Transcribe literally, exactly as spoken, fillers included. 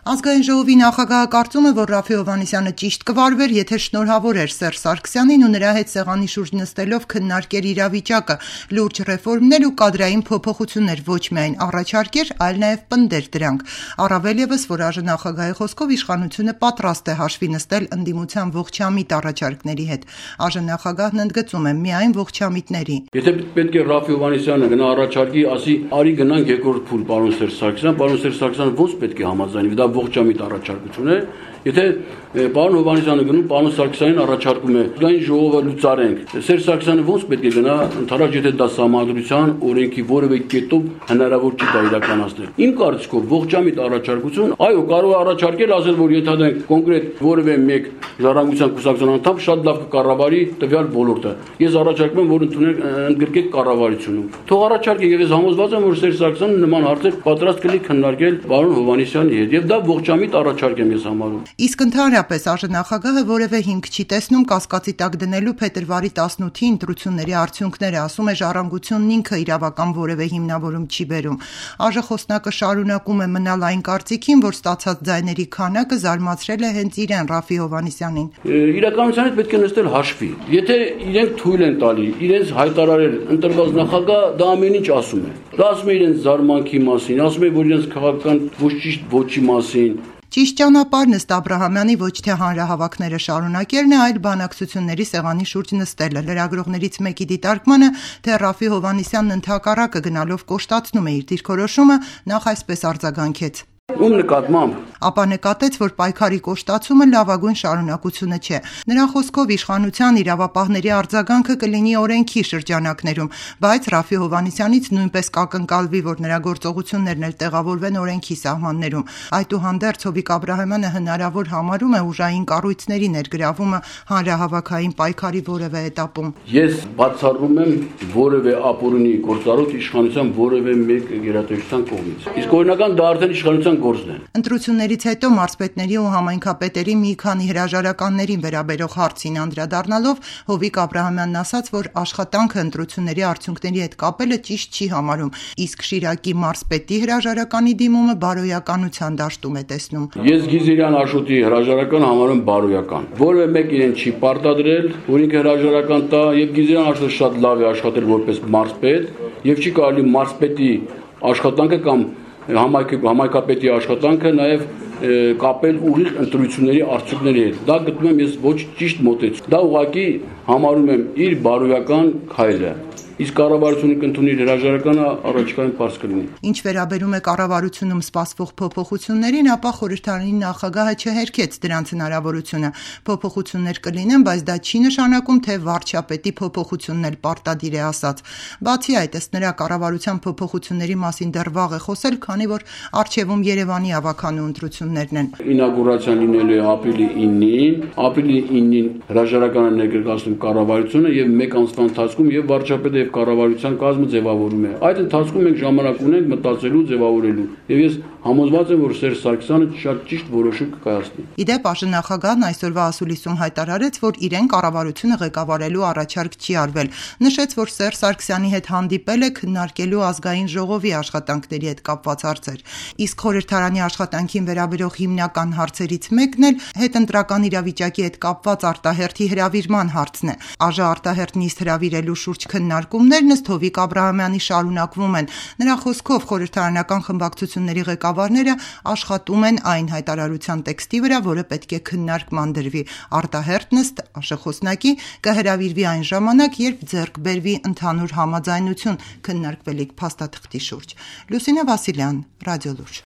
Ազգային ժողովի նախագահը կարծում է, որ Ռաֆֆի Հովհաննիսյանը ճիշտ կվարվեր, եթե շնորհավոր էր Սերժ Սարգսյանին ու նրա հետ սեղանի շուրջ նստելով քննարկեր իրավիճակը, լուրջ ռեֆորմներ ու կադրային փոփոխություններ ոչ միայն առաջարկեր, այլ նաև պնդեր դրանք։ Առավել ևս, որ ԱԺ խոսքով իշխանությունը պատրաստ է հաշվի նստել ընդդիմության ողջամիտ առաջարկների հետ։ ԱԺ ընդգծում է միայն ողջամիտների։ Եթե պետք է Ռաֆֆի Հովհաննիսյանը գնա առաջարկի, ասի արի գնանք երկրորդ փուլ պարոն Սերժ Սարգսյան, պարոն Սերժ Սարգսյանը ո՞նց պետք է համաձայնվի, դա ողջամիտ առաջարկություն է։ Եթե պարոն Հովհաննիսյանը գնում, պարոն Սարգսյանին առաջարկում է ազգային ժողովը լուծարենք, Սերժ Սարգսյանը ո՞նց պետք է գնա, ընդհանրապես եթե դա սահմանադրության օրենքի որևէ կետով հնարավոր չի դա իրականացնել։ Իմ կարծիքով ողջամիտ առաջարկություն, այո, կարող է առաջարկել, ասել, որ ենթադրենք կոնկրետ որևէ մեկ ժառանգության կուսակցության անդամ շատ լավ կկառավարի տվյալ ոլորտը։ Ես առաջարկում եմ, որ ընդունենք ընդգրկեք կառավարությունում։ Թող առաջարկի, եւ ես համոզված եմ, որ Սերժ Սարգսյանը նման հարցեր պատրաստ կլինի քննարկել պարոն Հովհաննիսյանի հետ, եւ դա ողջամիտ առաջարկ եմ ես համարում։ Իսկ ընդհանրապես ԱԺ որևէ հիմք չի տեսնում կասկածի տակ դնելու փետրվարի տասնութի ընտրությունների արդյունքները, ասում է Ժառանգությունն ինքը իրավական որևէ հիմնավորում չի բերում։ ԱԺ խոսնակը շարունակում է մնալ այն կարծիքին, որ ստացած ձայների քանակը զարմացրել է հենց իրեն Ռաֆֆի Հովհաննիսյանին։ Իրականության հետ պետք է նստել հաշվի։ Եթե իրենք թույլ են տալի իրենց հայտարարել ընտրված նախագահ, դա ամեն ինչ ասում է։ Դա ասում է իրենց զարմանքի մասին, ասում է, որ իրենց քաղաքական ոչ ճիշտ ոչի մասին։ Ճիշտ ճանապարհն ըստ Աբրահամյանի ոչ թե հանրահավաքները շարունակելն է, այլ բանակցությունների սեղանի շուրջ նստելը։ Լրագրողներից մեկի դիտարկմանը, թե Ռաֆֆի Հովհաննիսյանն ընդհակառակը գնալով կոշտացնում է իր դիրքորոշումը, նախ այսպես արձագանքեց. Ում նկատմամբ Ապա նկատեց, որ պայքարի կոշտացումը լավագույն շարունակությունը չէ։ Նրա խոսքով իշխանության իրավապահների արձագանքը կլինի օրենքի շրջանակներում, բայց Ռաֆֆի Հովհաննիսյանից նույնպես կակնկալվի, որ նրա գործողություններն էլ տեղավորվեն օրենքի սահմաններում։ Այդուհանդերձ Հովիկ Աբրահամյանը հնարավոր համարում է ուժային կառույցների ներգրավումը հանրահավաքային պայքարի որևէ էտապում։ Ես բացառում եմ որևէ ապօրինի գործառույթ իշխանության որևէ մեկ գերատեսչության կողմից։ Իսկ օրինական դա արդեն իշխանության գործն է։ Ընտրություններից հետո մարզպետների ու համայնքապետերի մի քանի հրաժարականներին վերաբերող հարցին անդրադառնալով Հովիկ Աբրահամյանն ասաց, որ աշխատանքը ընտրությունների արդյունքների հետ կապելը ճիշտ չի համարում, իսկ Շիրակի մարզպետի հրաժարականի դիմումը բարոյականության դաշտում է տեսնում։ Ես Գիզիրյան Աշոտի հրաժարականը համարում բարոյական։ Որևէ մեկ իրեն չի պարտադրել, որ ինքը հրաժարական տա, եւ Գիզիրյան Աշոտը շատ լավ է աշխատել որպես մարզպետ, եւ չի կարելի մարզպետի աշխատանքը կամ համայնքապետի աշխատանքը նաև կապել ուղիղ ընտրությունների արդյունքների հետ։ Դա գտնում եմ ես ոչ ճիշտ մոտեցում։ Դա ուղղակի համարում եմ իր բարոյական քայլը։ Իսկ կառավարությունը կընդունի իր հրաժարականը, առաջիկայում պարզ կլինի։ Ինչ վերաբերում է կառավարությունում սպասվող փոփոխություններին, ապա խորհրդարանի նախագահը չհերքեց դրանց հնարավորությունը։ Փոփոխություններ կլինեն, բայց դա չի նշանակում, թե վարչապետի փոփոխությունն էլ պարտադիր է ասած։ Բացի այդ, ըստ նրա, կառավարության փոփոխությունների մասին դեռ վաղ է խոսել, քանի որ առջևում Երևանի ավականու ընտրություններն են։ Ինագուրացիան լինելու է ապրիլի ինին, ապրիլի ինին հրաժարականը ներկայացնում կառավարությունը եւ մեկ ամսվա ընթացքում եւ վարչապետը կառավարության կազմը ձևավորում է։ Այդ ընթացքում մենք ժամանակ ունենք մտածելու, ձևավորելու։ Եվ ես համոզված եմ, որ Սերժ Սարգսյանը շատ ճիշտ որոշում կկայացնի։ Իդեպ ԱԺ-նախագահն այսօրվա ասուլիսում հայտարարեց, որ իրեն կառավարությունը ղեկավարելու առաջարկ չի արվել։ Նշեց, որ Սերժ Սարգսյանի հետ հանդիպել է քննարկելու ազգային ժողովի աշխատանքների հետ կապված հարցեր։ Իսկ խորհրդարանի աշխատանքին վերաբերող հիմնական հարցերից մեկն էլ հետընտրական իրավիճակի հետ կապված արտահերթի հրավիրման հարցն է։ ԱԺ արտահերթ նիստ հրավիրելու շուրջ քննարկումներն ըստ Հովիկ Աբրահամյանի շարունակվում են։ Նրա խոսքով խորհրդարանական խմբակցությունների ղեկավարները աշխատում են այն հայտարարության տեքստի վրա, որը պետք է քննարկման դրվի։ Արտահերթ նիստ ԱԺ խոսնակի կհրավիրվի այն ժամանակ, երբ ձեռք բերվի ընդհանուր համաձայնություն քննարկվելիք փաստաթղթի շուրջ։ Լուսինե Վասիլյան, Ռադիոլուրջ։